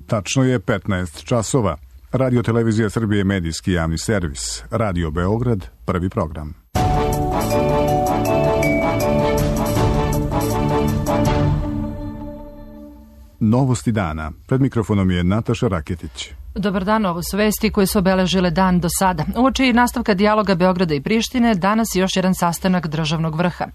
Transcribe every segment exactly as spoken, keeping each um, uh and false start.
Tačno je petnaest časova. Radio Televizija Srbije, medijski javni servis. Radio Beograd, prvi program. Novosti dana. Pred mikrofonom je Nataša Raketić. Dobar dan, ovo su vesti koje su obeležile dan do sada. Uoči nastavka dijaloga Beograda i Prištine, danas je još jedan sastanak državnog vrha.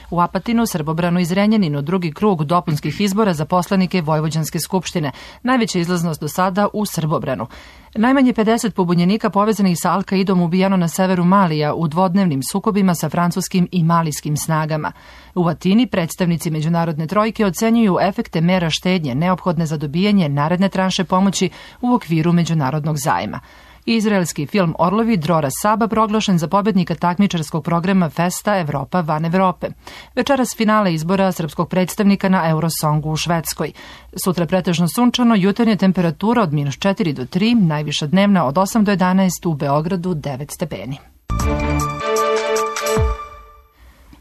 U Apatinu, Srbobranu i Zrenjaninu drugi krug dopunskih izbora za poslanike Vojvođanske skupštine. Najveća izlaznost do sada u Srbobranu. Najmanje pedeset pobunjenika povezanih sa Al-Kaidom ubijano na severu Malija u dvodnevnim sukobima sa francuskim i malijskim snagama. U Atini predstavnici međunarodne trojke ocenjuju efekte mera štednje neophodne za dobijanje naredne tranše pomoći u okviru međunarodnog zajma. Izraelski film Orlovi Drora Saba proglašen za pobednika takmičarskog programa Festa Evropa van Evrope. Večeras finale izbora srpskog predstavnika na Eurosongu u Švedskoj. Sutra pretežno sunčano, jutarnja temperatura od minus četiri do tri, najviša dnevna od osam do jedanaest, u Beogradu devet stepeni.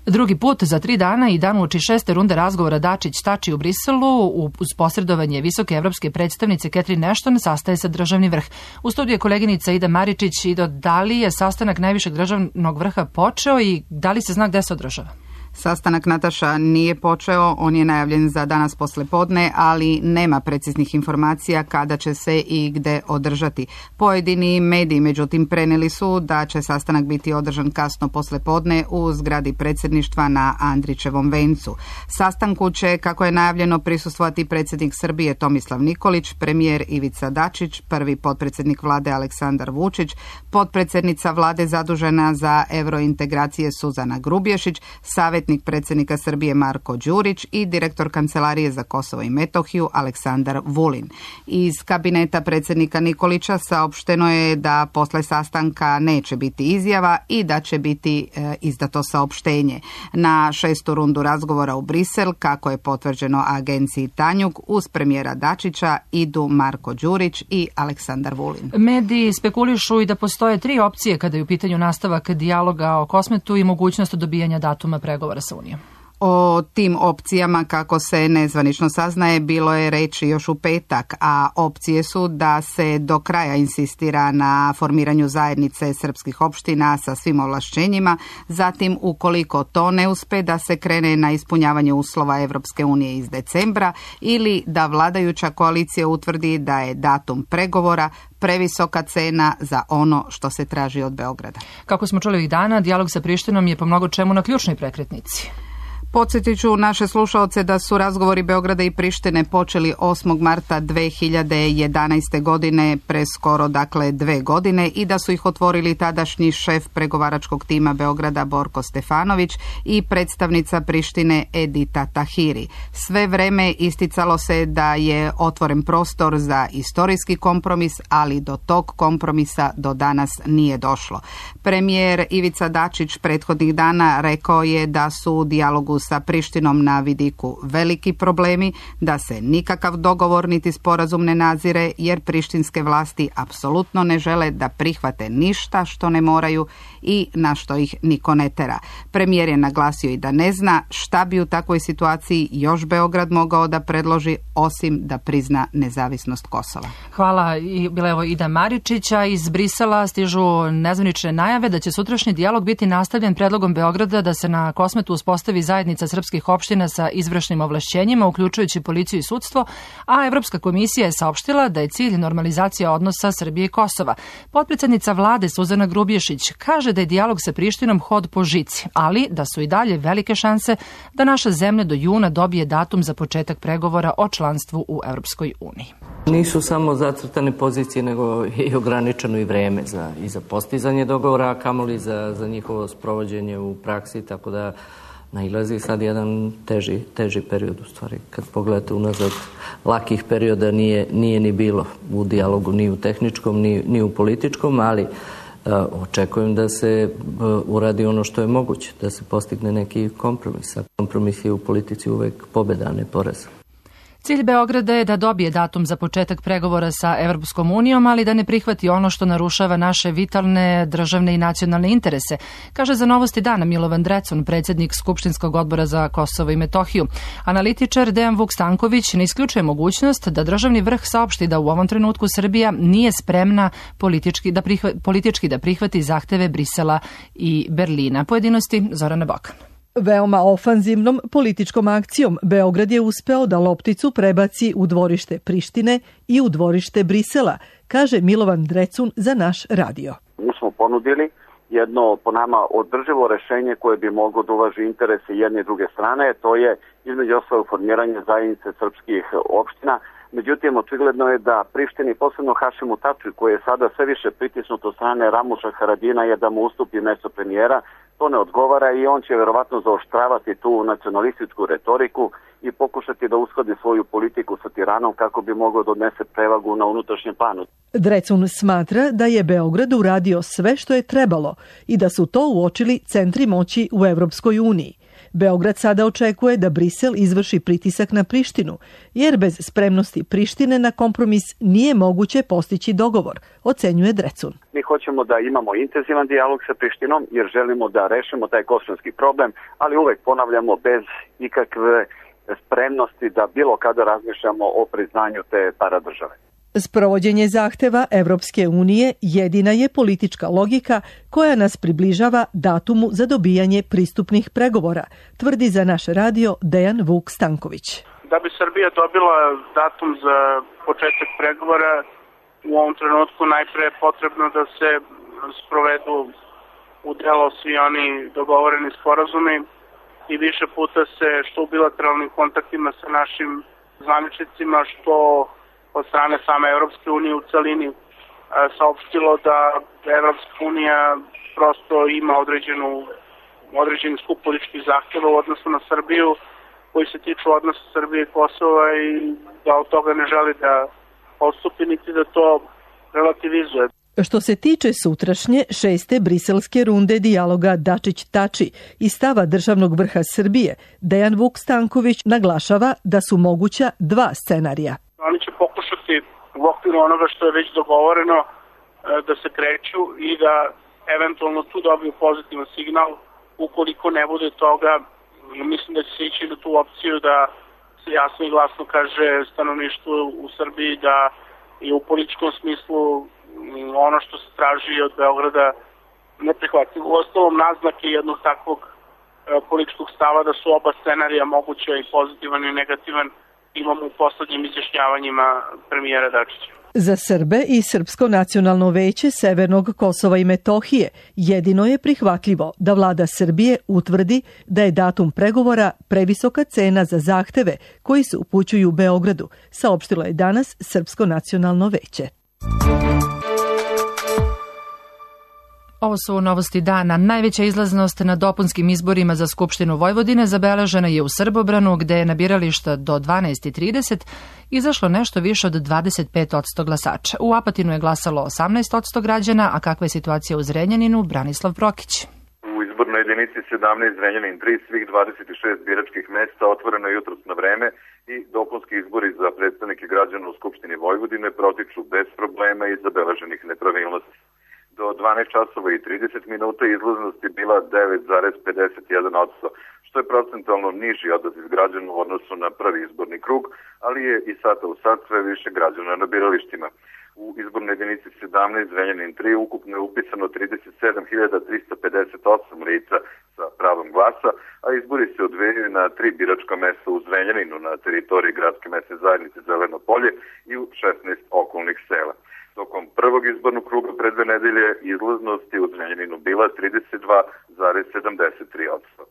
Drugi put za tri dana i dan uoči šeste runde razgovora Dačić-Tači u Briselu uz posredovanje visoke evropske predstavnice Catherine Ashton sastaje se državni vrh. U studiju je koleginica Ida Maričić. Ido, da li je sastanak najvišeg državnog vrha počeo i da li se zna gde se održava? Sastanak, Nataša, nije počeo, on je najavljen za danas poslepodne, ali nema preciznih informacija kada će se i gde održati. Pojedini mediji, međutim, preneli su da će sastanak biti održan kasno poslepodne u zgradi predsjedništva na Andrićevom vencu. Sastanku će, kako je najavljeno, prisustvovati predsjednik Srbije Tomislav Nikolić, premijer Ivica Dačić, prvi potpredsjednik vlade Aleksandar Vučić, potpredsjednica vlade zadužena za evrointegracije Suzana Grubješić, savjetnik predsjednika Srbije Marko Đurić i direktor Kancelarije za Kosovo i Metohiju Aleksandar Vulin. Iz kabineta predsjednika Nikolića saopšteno je da posle sastanka neće biti izjava i da će biti e, izdato saopštenje. Na šestu rundu razgovora u Brisel, kako je potvrđeno agenciji Tanjug, uz premijera Dačića idu Marko Đurić i Aleksandar Vulin. Mediji spekulišu i da postoje tri opcije kada je u pitanju nastavak dijaloga o Kosmetu i mogućnost dobijanja datuma pregovora sa Unijom. O tim opcijama, kako se nezvanično saznaje, bilo je reći još u petak, a opcije su da se do kraja insistira na formiranju zajednice srpskih opština sa svim ovlašćenjima, zatim ukoliko to ne uspe da se krene na ispunjavanje uslova Evropske unije iz decembra ili da vladajuća koalicija utvrdi da je datum pregovora previsoka cena za ono što se traži od Beograda. Kako smo čuli ovih dana, dijalog sa Prištinom je po mnogo čemu na ključnoj prekretnici. Podsjetit ću naše slušaoce da su razgovori Beograda i Prištine počeli osmog marta dve hiljade jedanaeste. godine, pre skoro dakle dve godine, i da su ih otvorili tadašnji šef pregovaračkog tima Beograda Borko Stefanović i predstavnica Prištine Edita Tahiri. Sve vreme isticalo se da je otvoren prostor za istorijski kompromis, ali do tog kompromisa do danas nije došlo. Premijer Ivica Dačić prethodnih dana rekao je da su u dijalogu sa Prištinom na vidiku veliki problemi, da se nikakav dogovor niti sporazum ne nazire, jer prištinske vlasti apsolutno ne žele da prihvate ništa što ne moraju i na što ih niko ne tera. Premijer je naglasio i da ne zna šta bi u takvoj situaciji još Beograd mogao da predloži, osim da prizna nezavisnost Kosova. Hvala. I bila je ovo Ida Maričića. Iz Brisela stižu nezvanične najave da će sutrašnji dijalog biti nastavljen predlogom Beograda da se na Kosmetu uspostavi zajednica srpskih opština sa izvršnim ovlašćenjima, uključujući policiju i sudstvo, a Evropska komisija je saopštila da je cilj normalizacija odnosa Srbije i Kosova. Potpredsjednica vlade Suzana Grubješić kaže da je dijalog sa Prištinom hod po žici, ali da su i dalje velike šanse da naša zemlja do juna dobije datum za početak pregovora o članstvu u Evropskoj uniji. Nisu samo zacrtane pozicije, nego i ograničeno i vreme za, i za postizanje dogovora, a kamoli za, za njihovo sprovođenje u praksi, tako da nailazi sad jedan teži, teži period u stvari. Kad pogledate unazad, lakih perioda nije, nije ni bilo u dijalogu, ni u tehničkom, ni, ni u političkom, ali uh, očekujem da se uh, uradi ono što je moguće, da se postigne neki kompromis. A kompromis je u politici uvek pobeda, a ne poraz. Cilj Beograda je da dobije datum za početak pregovora sa Evropskom unijom, ali da ne prihvati ono što narušava naše vitalne državne i nacionalne interese, kaže za Novosti dana Milovan Drecun, predsjednik Skupštinskog odbora za Kosovo i Metohiju. Analitičar Dejan Vuk Stanković ne isključuje mogućnost da državni vrh saopšti da u ovom trenutku Srbija nije spremna politički da, prihva, politički da prihvati zahteve Brisela i Berlina. Pojedinosti Zorana Bokan. Veoma ofanzivnom političkom akcijom Beograd je uspeo da lopticu prebaci u dvorište Prištine i u dvorište Brisela, kaže Milovan Drecun za naš radio. Mi smo ponudili jedno po nama održivo rešenje koje bi moglo da uvaži interese jedne i druge strane, to je između ostalog formiranje zajednice srpskih opština. Međutim, očigledno je da Prištini, posebno Hašimu Tači, koji je sada sve više pritisnut od strane Ramuša Haradina, je da mu ustupi mesto premijera. To ne odgovara i on će verovatno zaoštravati tu nacionalističku retoriku i pokušati da uskladi svoju politiku sa Tiranom kako bi mogao da odnese prevagu na unutrašnjem planu. Drecun smatra da je Beograd uradio sve što je trebalo i da su to uočili centri moći u Evropskoj uniji. Beograd sada očekuje da Brisel izvrši pritisak na Prištinu, jer bez spremnosti Prištine na kompromis nije moguće postići dogovor, ocenjuje Drecun. Mi hoćemo da imamo intenzivan dijalog sa Prištinom jer želimo da rešimo taj kosovski problem, ali uvek ponavljamo bez ikakve spremnosti da bilo kada razmišljamo o priznanju te paradržave. Sprovođenje zahteva Evropske unije jedina je politička logika koja nas približava datumu za dobijanje pristupnih pregovora, tvrdi za naš radio Dejan Vuk Stanković. Da bi Srbija dobila datum za početak pregovora, u ovom trenutku najpre je potrebno da se sprovedu u delo svi oni dogovoreni sporazumi i više puta se što u bilateralnim kontaktima sa našim zvaničnicima, što od strane same Evropske unije u celini saopštilo da Evropska unija prosto ima određenu, određeni skup političkih zahtjeva u odnosu na Srbiju koji se tiču odnosa Srbije i Kosova i da od toga ne želi da odstupi niti da to relativizuje. Što se tiče sutrašnje šeste briselske runde dijaloga Dačić-Tači i stava državnog vrha Srbije, Dejan Vuk Stanković naglašava da su moguća dva scenarija. Oni će pokušati u okviru onoga što je već dogovoreno da se kreću i da eventualno tu dobiju pozitivan signal. Ukoliko ne bude toga, mislim da će se ići na tu opciju da se jasno i glasno kaže stanovništvu u Srbiji da je u političkom smislu ono što se traži od Beograda neprihvatljivo. U ostalom naznake jednog takvog političkog stava da su oba scenarija moguća i pozitivan i negativan imamo u poslednjim izjašnjavanjima premijera Dačića. Za Srbe i Srpsko nacionalno veće Severnog Kosova i Metohije jedino je prihvatljivo da vlada Srbije utvrdi da je datum pregovora previsoka cena za zahteve koji se upućuju Beogradu, saopštilo je danas Srpsko nacionalno veće. Ovo su novosti dana. Najveća izlaznost na dopunskim izborima za Skupštinu Vojvodine zabeležena je u Srbobranu, gde je na birališta do dvanaest i trideset izašlo nešto više od dvadeset pet posto glasača. U Apatinu je glasalo osamnaest posto građana, a kakva je situacija u Zrenjaninu, Branislav Prokić. U izbornoj jedinici sedamnaest Zrenjanin tri, svih dvadeset šest biračkih mesta otvoreno je jutros na vreme i dopunski izbori za predstavnike građana u Skupštini Vojvodine protiču bez problema i zabeleženih nepravilnosti. Do dvanaest časova i trideset minuta izlaznost je bila devet zarez pedeset jedan posto, što je procentualno niži odaziv građana u odnosu na prvi izborni krug, ali je i sata u sat sve više građana na biralištima. U izbornoj jedinici sedamnaest Zrenjanin tri ukupno je upisano trideset sedam hiljada trista pedeset osam lica sa pravom glasa, a izbori se odvijaju na tri biračka mesta u Zrenjaninu na teritoriji gradske mesne zajednice Zeleno polje i u šesnaest okolnih sela. Tokom prvog izbornog kruga pre dve nedelje izlaznost je u Zrenjaninu bila trideset dva zarez sedamdeset tri posto.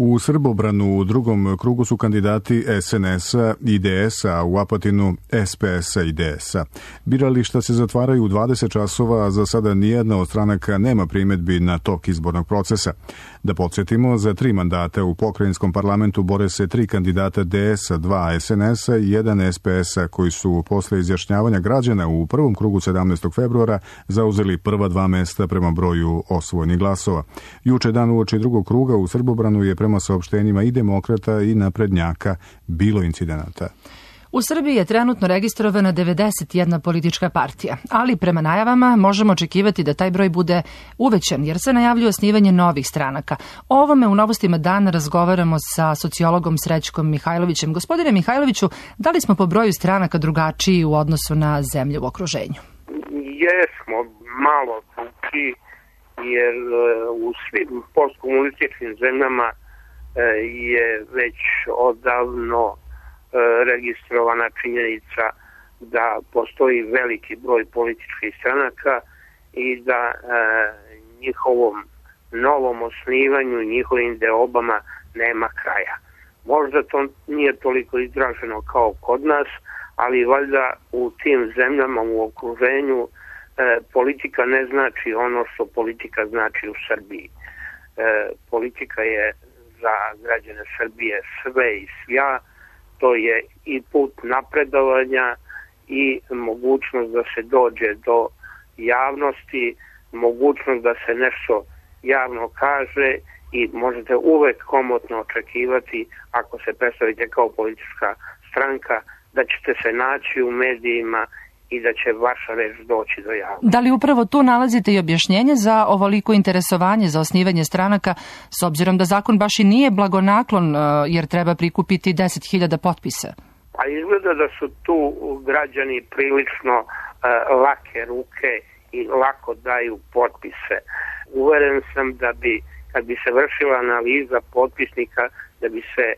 U Srbobranu u drugom krugu su kandidati es en es-a i de es-a, a u Apatinu es pe es-a i de es-a. Birališta se zatvaraju u dvadeset časova, a za sada nijedna od stranaka nema primedbi na tok izbornog procesa. Da podsjetimo, za tri mandata u pokrajinskom parlamentu bore se tri kandidata de es-a, dva es en es-a i jedan es pe es-a, koji su posle izjašnjavanja građana u prvom krugu sedamnaestog februara zauzeli prva dva mesta prema broju osvojenih glasova. Juče dan uoči drugog kruga u Srbobranu je prema prema saopštenjima i demokrata i naprednjaka bilo incidenata. U Srbiji je trenutno registrovana devedeset jedna politička partija, ali prema najavama možemo očekivati da taj broj bude uvećan, jer se najavljuje osnivanje novih stranaka. O ovome u Novostima dana razgovaramo sa sociologom Srećkom Mihajlovićem. Gospodine Mihajloviću, da li smo po broju stranaka drugačiji u odnosu na zemlje u okruženju? Jesmo, malo drugačiji, jer u svim postkomunističkim zemljama je već odavno registrovana činjenica da postoji veliki broj političkih stranaka i da e, njihovom novom osnivanju, njihovim deobama nema kraja. Možda to nije toliko izraženo kao kod nas, ali valjda u tim zemljama u okruženju e, politika ne znači ono što politika znači u Srbiji. E, politika je za građane Srbije sve i svja. To je i put napredovanja i mogućnost da se dođe do javnosti, mogućnost da se nešto javno kaže i možete uvek komotno očekivati, ako se predstavite kao politička stranka, da ćete se naći u medijima i da će vaša reč doći do javnosti. Da li upravo tu nalazite i objašnjenje za ovoliko interesovanje za osnivanje stranaka, s obzirom da zakon baš i nije blagonaklon jer treba prikupiti deset hiljada potpisa? Pa izgleda da su tu građani prilično uh, lake ruke i lako daju potpise. Uveren sam da bi, kad bi se vršila analiza potpisnika, da bi se e,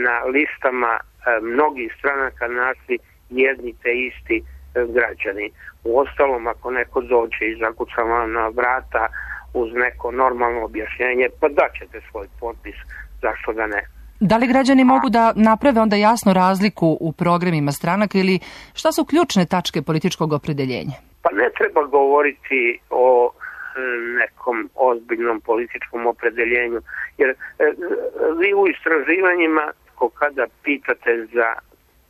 na listama e, mnogih stranaka našli jedni te isti e, građani. Uostalom, ako neko dođe i zakuca vam na vrata uz neko normalno objašnjenje, pa daćete svoj potpis, zašto da ne? Da li građani mogu da naprave onda jasnu razliku u programima stranaka ili šta su ključne tačke političkog opredeljenja? Pa ne treba govoriti o nekom ozbiljnom političkom opredeljenju, jer vi u istraživanjima kada pitate za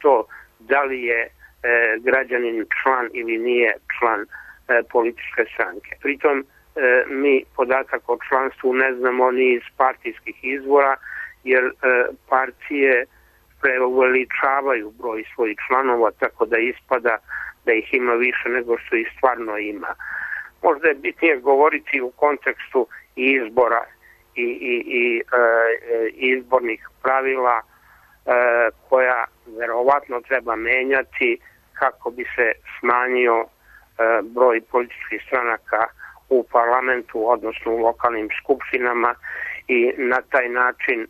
to da li je e, građanin član ili nije član e, političke stranke. Pritom e, mi podatak o članstvu ne znamo ni iz partijskih izvora, jer e, partije preuveličavaju broj svojih članova, tako da ispada da ih ima više nego što ih stvarno ima. Možda je bitnije govoriti u kontekstu izbora i, i, i e, izbornih pravila e, koja verovatno treba menjati kako bi se smanjio e, broj političkih stranaka u parlamentu, odnosno u lokalnim skupštinama i na taj način e,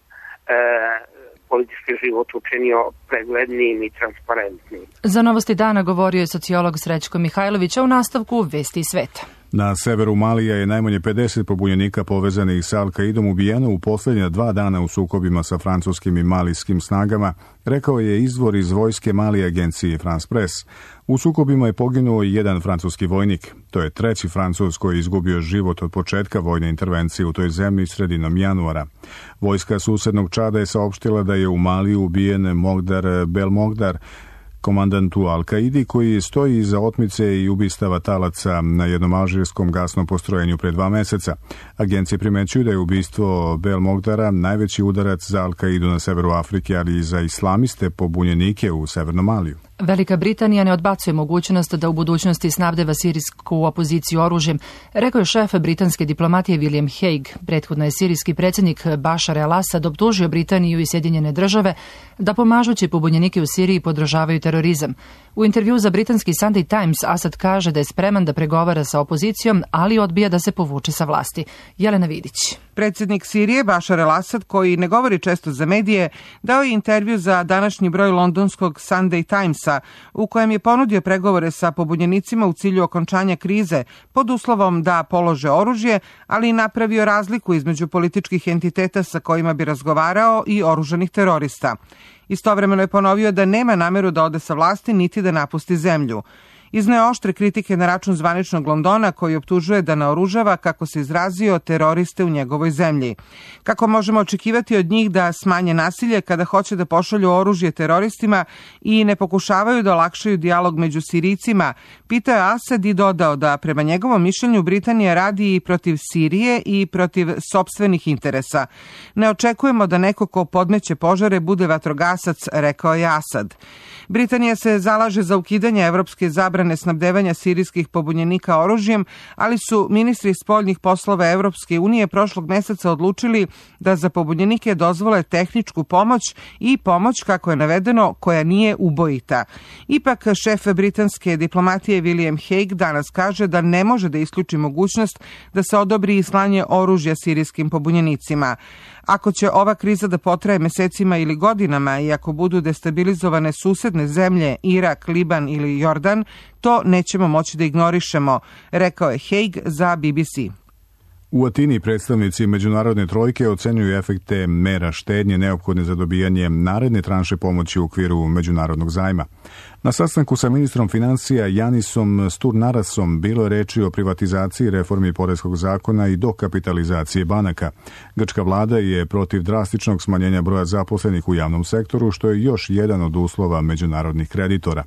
politički život učinio preglednijim i transparentnijim. Za Novosti dana govorio je sociolog Srećko Mihajlović, a u nastavku Vesti iz sveta. Na severu Malija je najmanje pedeset pobunjenika povezanih sa Al-Kaidom ubijeno u posljednja dva dana u sukobima sa francuskim i malijskim snagama, rekao je izvor iz vojske Malije agencije France Press. U sukobima je poginuo i jedan francuski vojnik. To je treći Francuz koji je izgubio život od početka vojne intervencije u toj zemlji sredinom januara. Vojska susednog Čada je saopštila da je u Maliju ubijen Mogdar Belmogdar, komandantu Al-Kaidi, koji stoji iza otmice i ubistava talaca na jednom alžirskom gasnom postrojenju pre dva meseca. Agencije primećuju da je ubistvo Belmogdara najveći udarac za Al-Kaidu na severu Afrike, ali i za islamiste pobunjenike u severnom Maliju. Velika Britanija ne odbacuje mogućnost da u budućnosti snabdeva sirijsku opoziciju oružjem, rekao je šef britanske diplomatije William Hague. Prethodno je sirijski predsjednik Bashar al-Assad optužio Britaniju i Sjedinjene države da pomažući pobunjenike u Siriji podržavaju terorizam. U intervju za britanski Sunday Times Assad kaže da je spreman da pregovara sa opozicijom, ali odbija da se povuče sa vlasti. Jelena Vidić. Predsjednik Sirije Bashar al-Assad, koji ne govori često za medije, dao je intervju za današnji broj londonskog Sunday Timesa, u kojem je ponudio pregovore sa pobunjenicima u cilju okončanja krize pod uslovom da polože oružje, ali i napravio razliku između političkih entiteta sa kojima bi razgovarao i oružanih terorista. Istovremeno je ponovio da nema nameru da ode sa vlasti niti da napusti zemlju. Izneo oštre kritike na račun zvaničnog Londona koji optužuje da naoružava, kako se izrazio, teroriste u njegovoj zemlji. Kako možemo očekivati od njih da smanje nasilje kada hoće da pošalju oružje teroristima i ne pokušavaju da olakšaju dijalog među Sirijcima, pitao je Asad i dodao da prema njegovom mišljenju Britanija radi i protiv Sirije i protiv sopstvenih interesa. Ne očekujemo da neko ko podmeće požare bude vatrogasac, rekao je Asad. Britanija se zalaže za ukidanje evropske zabrane snabdevanja sirijskih pobunjenika oružjem, ali su ministri spoljnih poslova Evropske unije prošlog meseca odlučili da za pobunjenike dozvole tehničku pomoć i pomoć, kako je navedeno, koja nije ubojita. Ipak, šef britanske diplomatije William Hague danas kaže da ne može da isključi mogućnost da se odobri i slanje oružja sirijskim pobunjenicima. Ako će ova kriza da potraje mesecima ili godinama i ako budu destabilizovane susedne zemlje, Irak, Liban ili Jordan, to nećemo moći da ignorišemo, rekao je Hague za B B C. U Atini predstavnici međunarodne trojke ocenjuju efekte mera štednje neophodne za dobijanje naredne tranše pomoći u okviru međunarodnog zajma. Na sastanku sa ministrom financija Janisom Sturnarasom bilo je reči o privatizaciji, reformi poreskog zakona i dokapitalizacije banaka. Grčka vlada je protiv drastičnog smanjenja broja zaposlenih u javnom sektoru, što je još jedan od uslova međunarodnih kreditora.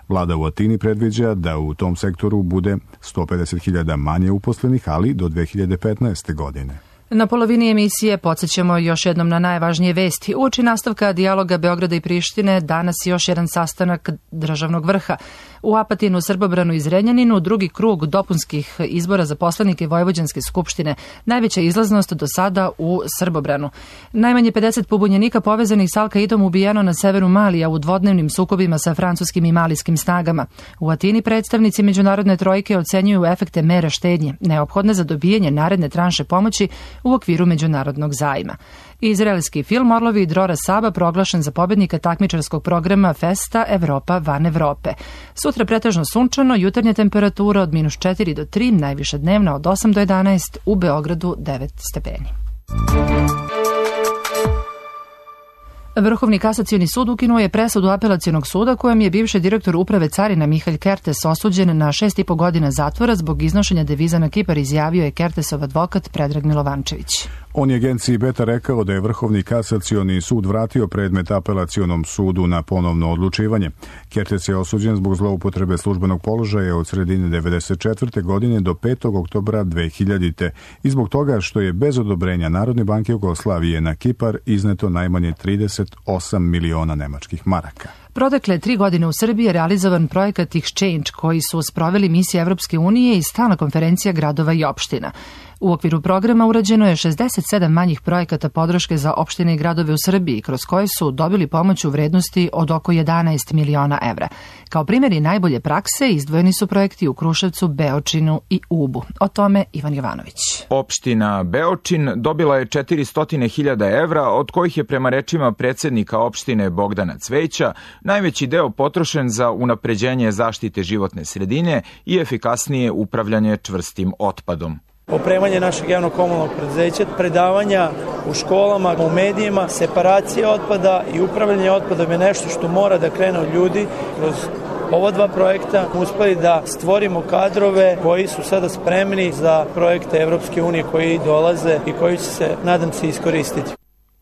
Vlada u Atini predviđa da u tom sektoru bude sto pedeset hiljada manje uposlenih, ali do dve hiljade petnaeste. godine. Na polovini emisije podsjećamo još jednom na najvažnije vesti. Uoči nastavka dijaloga Beograda i Prištine danas još jedan sastanak državnog vrha. U Apatinu, Srbobranu i Zrenjaninu drugi krug dopunskih izbora za poslanike Vojvođanske skupštine. Najveća izlaznost do sada u Srbobranu. Najmanje pedeset pobunjenika povezanih s Al-Kaidom ubijeno na severu Malija u dvodnevnim sukobima sa francuskim i malijskim snagama. U Atini predstavnici međunarodne trojke ocenjuju efekte mera štednje, neophodne za dobijanje naredne tranše pomoći u okviru međunarodnog zajma. Izraelski film Orlovi i Drora Saba proglašen za pobednika takmičarskog programa Festa Evropa van Evrope. Sutra pretežno sunčano, jutarnja temperatura od minus četiri do tri, najviša dnevna od osam do jedanaest, u Beogradu devet stepeni. Vrhovni kasacioni sud ukinuo je presudu apelacionog suda kojem je bivši direktor uprave carina Mihalj Kertes osuđen na šest i po godina zatvora zbog iznošenja deviza na Kipar, izjavio je Kertesov advokat Predrag Milovančević. On je agenciji Beta rekao da je Vrhovni kasacioni sud vratio predmet apelacionom sudu na ponovno odlučivanje. Kertes je osuđen zbog zloupotrebe službenog položaja od sredine devedeset četvrte. godine do petog oktobra dve hiljadite. i zbog toga što je bez odobrenja Narodne banke Jugoslavije na Kipar izneto najmanje trideset osam miliona nemačkih maraka. Protekle tri godine u Srbiji je realizovan projekat Exchange koji su sproveli misije Evropske unije i stalna konferencija gradova i opština. U okviru programa urađeno je šezdeset sedam manjih projekata podrške za opštine i gradove u Srbiji, kroz koje su dobili pomoć u vrednosti od oko jedanaest miliona evra. Kao primjeri najbolje prakse izdvojeni su projekti u Kruševcu, Beočinu i Ubu. O tome Ivan Jovanović. Opština Beočin dobila je četiristo hiljada evra, od kojih je prema rečima predsjednika opštine Bogdana Cvejića najveći deo potrošen za unapređenje zaštite životne sredine i efikasnije upravljanje čvrstim otpadom. Opremanje našeg javnog komunalnog preduzeća, predavanja u školama, u medijima, separacija otpada i upravljanje otpadom je nešto što mora da krene od ljudi. Kroz ova dva projekta uspeli da stvorimo kadrove koji su sada spremni za projekte Evropske unije koji dolaze i koji će se, nadam se, iskoristiti.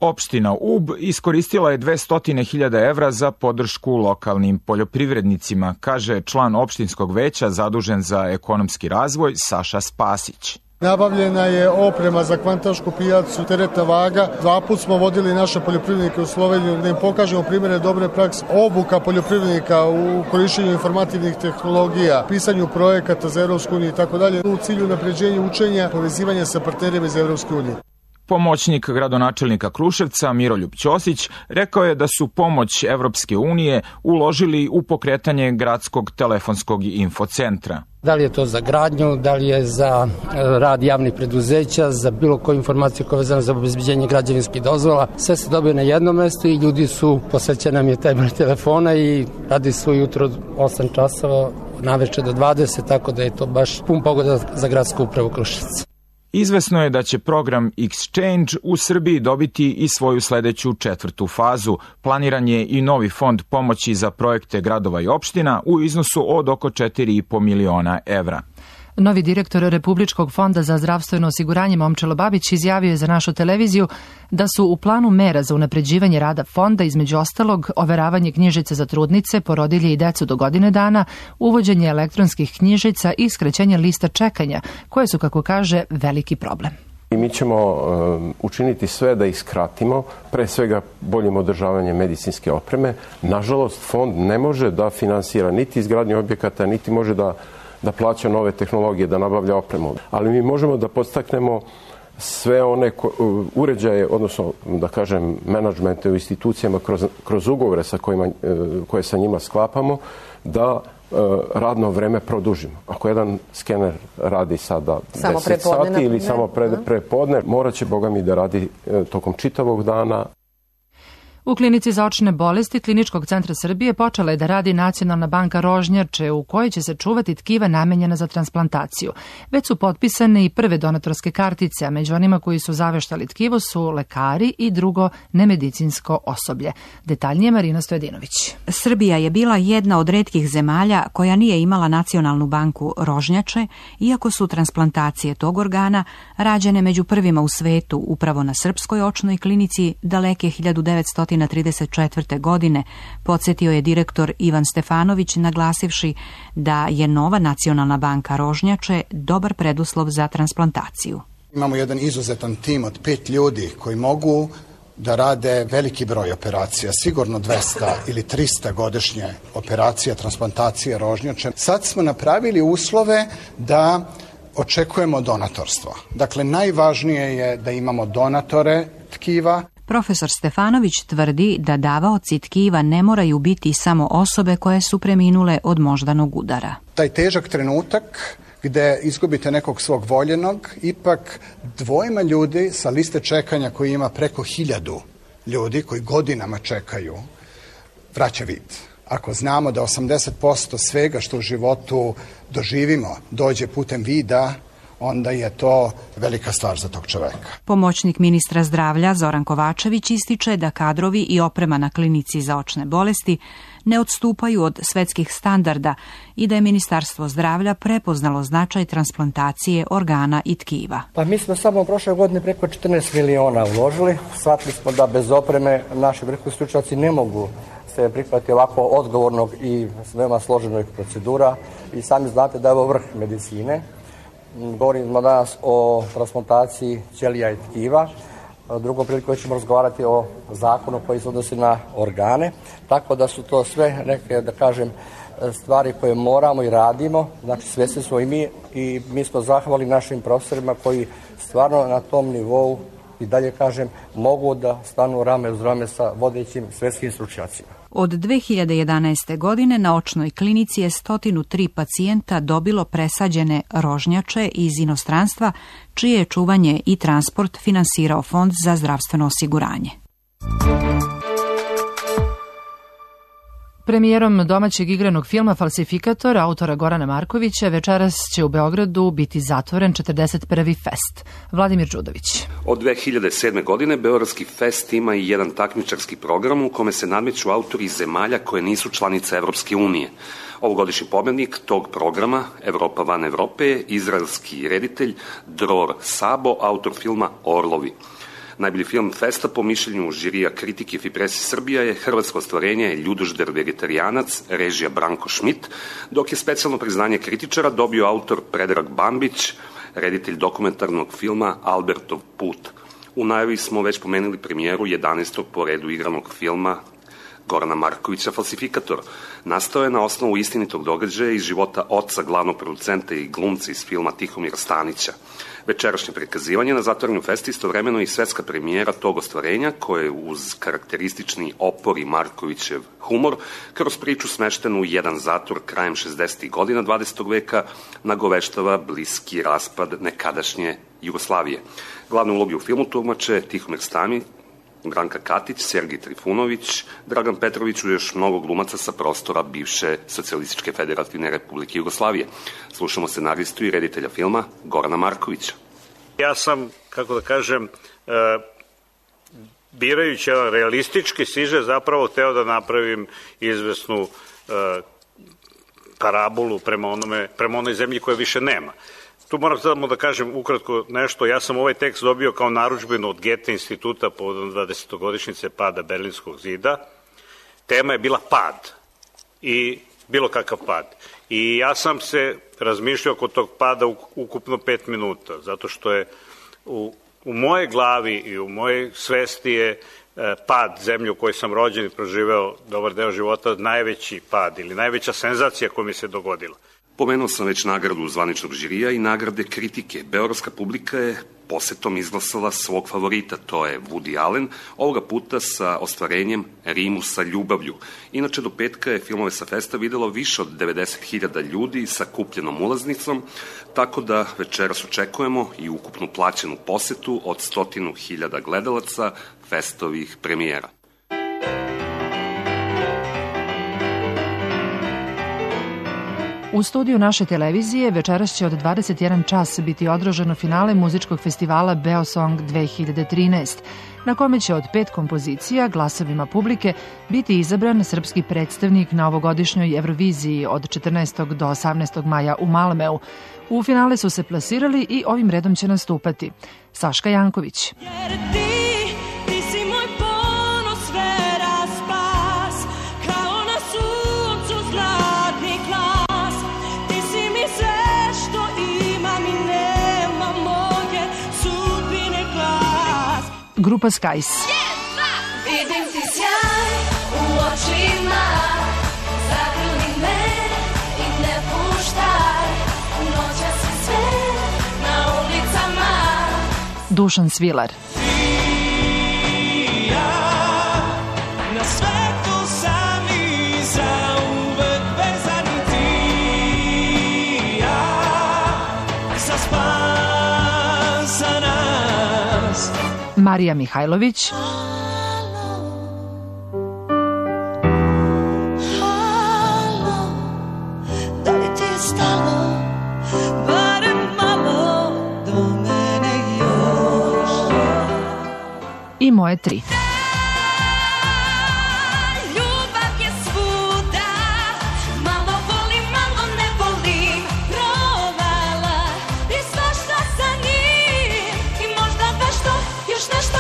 Opština Ub iskoristila je dvesta hiljada evra za podršku lokalnim poljoprivrednicima, kaže član opštinskog veća zadužen za ekonomski razvoj Saša Spasić. Nabavljena je oprema za kvantašku pijacu, teretna vaga. Dva put smo vodili naše poljoprivrednike u Sloveniju da im pokažemo primjere dobre prakse. Obuka poljoprivrednika u korišćenju informativnih tehnologija, pisanju projekata za Evropsku uniju i tako dalje u cilju napređenja učenja, povezivanja sa partnerima iz Evropske unije. Pomoćnik gradonačelnika Kruševca Miroljub Ćosić rekao je da su pomoć Evropske unije uložili u pokretanje gradskog telefonskog infocentra. Da li je to za gradnju, da li je za rad javnih preduzeća, za bilo koju informaciju koja je vezana za obezbeđenje građevinskih dozvola. Sve se dobije na jednom mestu i ljudi su, posvećen nam je taj broj telefona i radi su jutro od osam časova, naveče do dvadeset, tako da je to baš pun pogoda za gradsku upravu Kruševca. Izvesno je da će program Exchange u Srbiji dobiti i svoju sledeću četvrtu fazu. Planiran je i novi fond pomoći za projekte gradova i opština u iznosu od oko četiri i po miliona evra. Novi direktor Republičkog fonda za zdravstveno osiguranje Momčilo Babić izjavio je za našu televiziju da su u planu mera za unapređivanje rada fonda između ostalog overavanje knjižice za trudnice, porodilje i decu do godine dana, uvođenje elektronskih knjižica i skraćenje lista čekanja, koje su, kako kaže, veliki problem. I mi ćemo um, učiniti sve da ih skratimo, pre svega boljim održavanjem medicinske opreme. Nažalost, fond ne može da finansira niti izgradnju objekata, niti može da da plaća nove tehnologije, da nabavlja opremu. Ali mi možemo da podstaknemo sve one ko, uređaje, odnosno da kažem menadžmente u institucijama kroz, kroz ugovore sa kojima, koje sa njima sklapamo, da radno vreme produžimo. Ako jedan skener radi sada samo deset sati ili samo pre, prepodne, morat će, Boga mi, da radi tokom čitavog dana. U klinici za očne bolesti Kliničkog centra Srbije počela je da radi Nacionalna banka Rožnjače u kojoj će se čuvati tkiva namenjena za transplantaciju. Već su potpisane i prve donatorske kartice, a među onima koji su zaveštali tkivo su lekari i drugo nemedicinsko osoblje. Detaljnije Marina Stojedinović. Srbija je bila jedna od retkih zemalja koja nije imala Nacionalnu banku Rožnjače, iako su transplantacije tog organa rađene među prvima u svetu upravo na Srpskoj očnoj klinici daleke hiljadu devetsto trideset četvrte. godine, podsjetio je direktor Ivan Stefanović, naglasivši da je nova Nacionalna banka Rožnjače dobar preduslov za transplantaciju. Imamo jedan izuzetan tim od pet ljudi koji mogu da rade veliki broj operacija, sigurno dvesta ili trista godišnje operacija, transplantacije rožnjače. Sad smo napravili uslove da očekujemo donatorstvo. Dakle, najvažnije je da imamo donatore tkiva. Profesor Stefanović tvrdi da davaoci tkiva ne moraju biti samo osobe koje su preminule od moždanog udara. Taj težak trenutak gde izgubite nekog svog voljenog, ipak dvojima ljudi sa liste čekanja koji ima preko hiljadu ljudi koji godinama čekaju, vraća vid. Ako znamo da osamdeset posto svega što u životu doživimo dođe putem vida, onda je to velika stvar za tog čoveka. Pomoćnik ministra zdravlja Zoran Kovačević ističe da kadrovi i oprema na klinici za očne bolesti ne odstupaju od svetskih standarda i da je Ministarstvo zdravlja prepoznalo značaj transplantacije organa i tkiva. Pa mi smo samo prošle godine preko četrnaest miliona uložili. Shvatili smo da bez opreme naši vrhunski stručnjaci ne mogu se prihvatiti ovako odgovornog i veoma složenog procedura. I sami znate da je ovo vrh medicine. Govorimo danas o transplantaciji ćelija i tkiva. Drugom prilikom ćemo razgovarati o zakonu koji se odnosi na organe. Tako da su to sve neke, da kažem, stvari koje moramo i radimo. Znači, svesni smo i mi i mi smo zahvali našim profesorima koji stvarno na tom nivou i dalje, kažem, mogu da stanu rame uz rame sa vodećim svetskim stručnjacima. Od dve hiljade jedanaeste. godine na očnoj klinici je sto tri pacijenta dobilo presađene rožnjače iz inostranstva, čije je čuvanje i transport finansirao Fond za zdravstveno osiguranje. Premijerom domaćeg igranog filma Falsifikator autora Gorana Markovića večeras će u Beogradu biti zatvoren četrdeset prvi fest. Vladimir Đudović. Od dve hiljade sedme. godine Beogradski fest ima i jedan takmičarski program u kome se nadmeću autori iz zemalja koje nisu članice Evropske unije. Ovogodišnji pobednik tog programa, Evropa van Evrope, je izraelski reditelj Dror Sabo, autor filma Orlovi. Najbolji film festa po mišljenju žirija kritike Fipresi Srbija je hrvatsko ostvarenje Ljudožder vegetarijanac, režija Branko Šmit, dok je specijalno priznanje kritičara dobio autor Predrag Bambić, reditelj dokumentarnog filma Albertov put. U najavi smo već pomenuli premijeru jedanaestog po redu igranog filma Gorana Markovića Falsifikator. Nastao je na osnovu istinitog događaja iz života oca glavnog producenta i glumca iz filma Tihomira Stanića. Večerašnje prikazivanje na zatvorenju festa istovremeno i svetska premijera tog ostvarenja, koje uz karakteristični opor i Markovićev humor, kroz priču smeštenu u jedan zatvor krajem šezdesetih godina dvadesetog veka, nagoveštava bliski raspad nekadašnje Jugoslavije. Glavne uloge u filmu tumače Tihomir Stanić, Branka Katić, Sergij Trifunović, Dragan Petrović i još mnogo glumaca sa prostora bivše Socijalističke federativne republike Jugoslavije. Slušamo scenaristu i reditelja filma Gorana Markovića. Ja sam, kako da kažem, birajući realistički siže zapravo hteo da napravim izvesnu parabolu prema onome, prema onoj zemlji koje više nema. Tu moram samo da kažem ukratko nešto. Ja sam ovaj tekst dobio kao narudžbinu od Goethe instituta povodom dvadesetogodišnjice pada Berlinskog zida. Tema je bila pad i bilo kakav pad. I ja sam se razmišljao oko tog pada ukupno pet minuta, zato što je u, u moje glavi i u mojej svesti je pad zemlje u kojoj sam rođen i proživeo dobar deo života najveći pad ili najveća senzacija koja mi se dogodila. Pomenuo sam već nagradu zvaničnog žirija i nagrade kritike. Beogradska publika je posetom izglasala svog favorita, to je Woody Allen, ovoga puta sa ostvarenjem Rimu sa ljubavlju. Inače, do petka je filmove sa festa videlo više od devedeset hiljada ljudi sa kupljenom ulaznicom, tako da večeras očekujemo i ukupnu plaćenu posetu od stotinu hiljada gledalaca festovih premijera. U studiju naše televizije večeras će od dvadeset jedan čas biti održano finale muzičkog festivala Beosong dve hiljade trinaest, na kome će od pet kompozicija glasovima publike biti izabran srpski predstavnik na ovogodišnjoj Euroviziji od četrnaestog do osamnaestog maja u Malmeu. U finale su se plasirali i ovim redom će nastupati Saška Janković, grupa Skies, vidim ti sjaj u očima, zagrli me i ne puštaj, noća si sve na ulicama, Dušan Svilar, na svetu sami za uvek vezani ti ja, za spas za nas. Marija Mihajlović, da li ti je stalo, barem malo do mene još, i Moje tri. Ljubav je svuda, malo volim, malo ne volim, provala i svašta sa njim i možda baš to još nešto.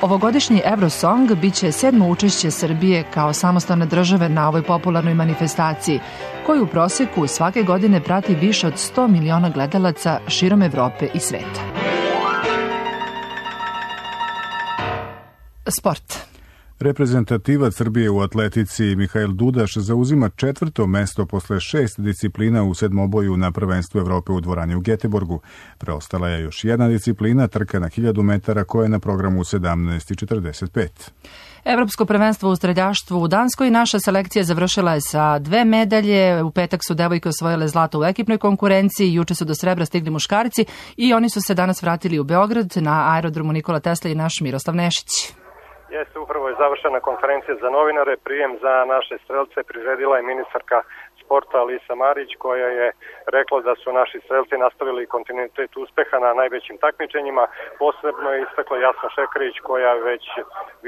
Ovogodišnji Eurosong biće sedmo učešće Srbije kao samostalne države na ovoj popularnoj manifestaciji, koju u proseku svake godine prati više od sto miliona gledalaca širom Evrope i sveta. Sport. Reprezentativac Srbije u atletici Mihail Dudaš zauzima četvrto mesto posle šest disciplina u sedmoboju na prvenstvu Evrope u dvorani u Geteborgu. Preostala je još jedna disciplina, trka na hiljadu metara, koja je na programu u sedamnaest četrdeset pet. Evropsko prvenstvo u streljaštvu u Danskoj naša selekcija završila je sa dve medalje. U petak su devojke osvojile zlato u ekipnoj konkurenciji, juče su do srebra stigli muškarci i oni su se danas vratili u Beograd na aerodromu Nikola Tesla i naš Miroslav Nešić. Jeste, upravo je završena konferencija za novinare, prijem za naše strelce priredila je ministarka sporta Alisa Marić, koja je rekla da su naši strelci nastavili kontinuitet uspeha na najvećim takmičenjima. Posebno je istakla Jasna Šekarić, koja već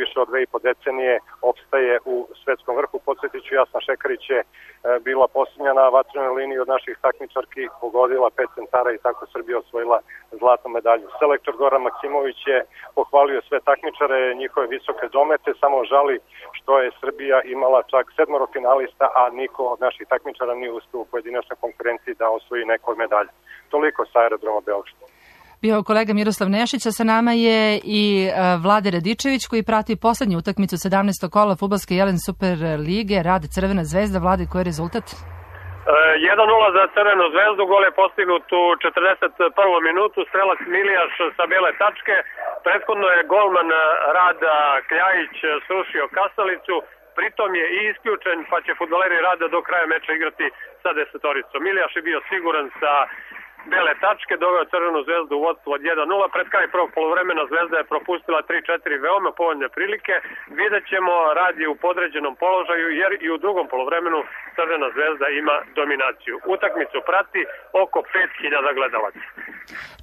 više od dve i po decenije opstaje u svetskom vrhu. Podsjetit ću, Jasna Šekarić je bila posljednja na vatrenoj liniji od naših takmičarki, pogodila pet centara i tako Srbija osvojila zlatnu medalju. Selektor Goran Maksimović je pohvalio sve takmičare, njihove visoke domete, samo žali što je Srbija imala čak sedmoro finalista, a niko od naših takmičara nije uspio u pojedinačnoj konkurenciji da osvoji neko od medalja. Toliko sa aerodroma Beograd. Bio kolega Miroslav Nešić, a sa nama je i Vlade Radičević, koji prati poslednju utakmicu sedamnaestog kola fudbalske Jelen Super lige, Rad Crvena zvezda. Vlade, koji je rezultat? jedan nula za Crvenu zvezdu, gol je postignut u četrdeset prvom minutu, strelac Milijaš sa bele tačke, prethodno je golman Rada Kljajić srušio kasalicu, pritom je i isključen, pa će fudbaleri Rada do kraja meča igrati sa desetoricom. Milijaš je bio siguran sa bele tačke, doveo Crvenu zvezdu u vodstvo od jedan nula. Pred kraj prvog poluvremena Zvezda je propustila tri četiri veoma povoljne prilike. Vidjet ćemo, rad je u podređenom položaju jer i u drugom poluvremenu Crvena zvezda ima dominaciju. Utakmicu prati oko pet hiljada gledalaca.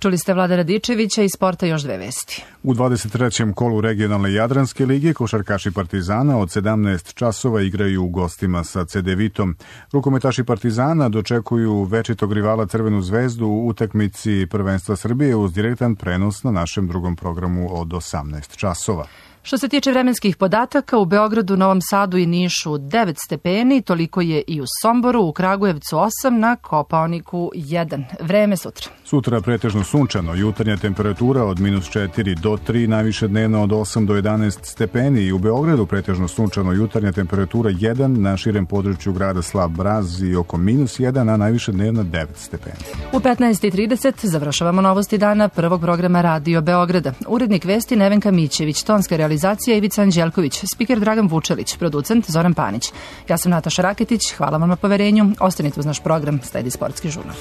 Čuli ste Vlada Radičevića, iz sporta još dve vesti. U dvadeset trećem kolu regionalne Jadranske lige košarkaši Partizana od sedamnaest časova igraju u gostima sa Cedevitom. Rukometaši Partizana dočekuju večitog rivala Crvenu zvezdu u utakmici prvenstva Srbije uz direktan prenos na našem drugom programu od osamnaest časova. Što se tiče vremenskih podataka, u Beogradu, Novom Sadu i Nišu devet stepeni, toliko je i u Somboru, u Kragujevcu osam, na Kopaoniku jedan. Vreme sutra. Sutra pretežno sunčano, jutarnja temperatura od minus četiri do tri, najviše dnevno od osam do jedanaest stepeni i u Beogradu pretežno sunčano, jutarnja temperatura jedan, na širem području grada Slab Braz i oko minus jedan, a najviše dnevno devet stepeni. U petnaest i trideset završavamo novosti dana prvog programa Radio Beograda. Urednik vesti Nevenka Mićević, tonska realizacija Ivica Anđelković, spiker Dragan Vučelić, producent Zoran Panić. Ja sam Nataša Raketić, hvala vam na poverenju, ostanite uz naš program, sledi Sportski žurnal.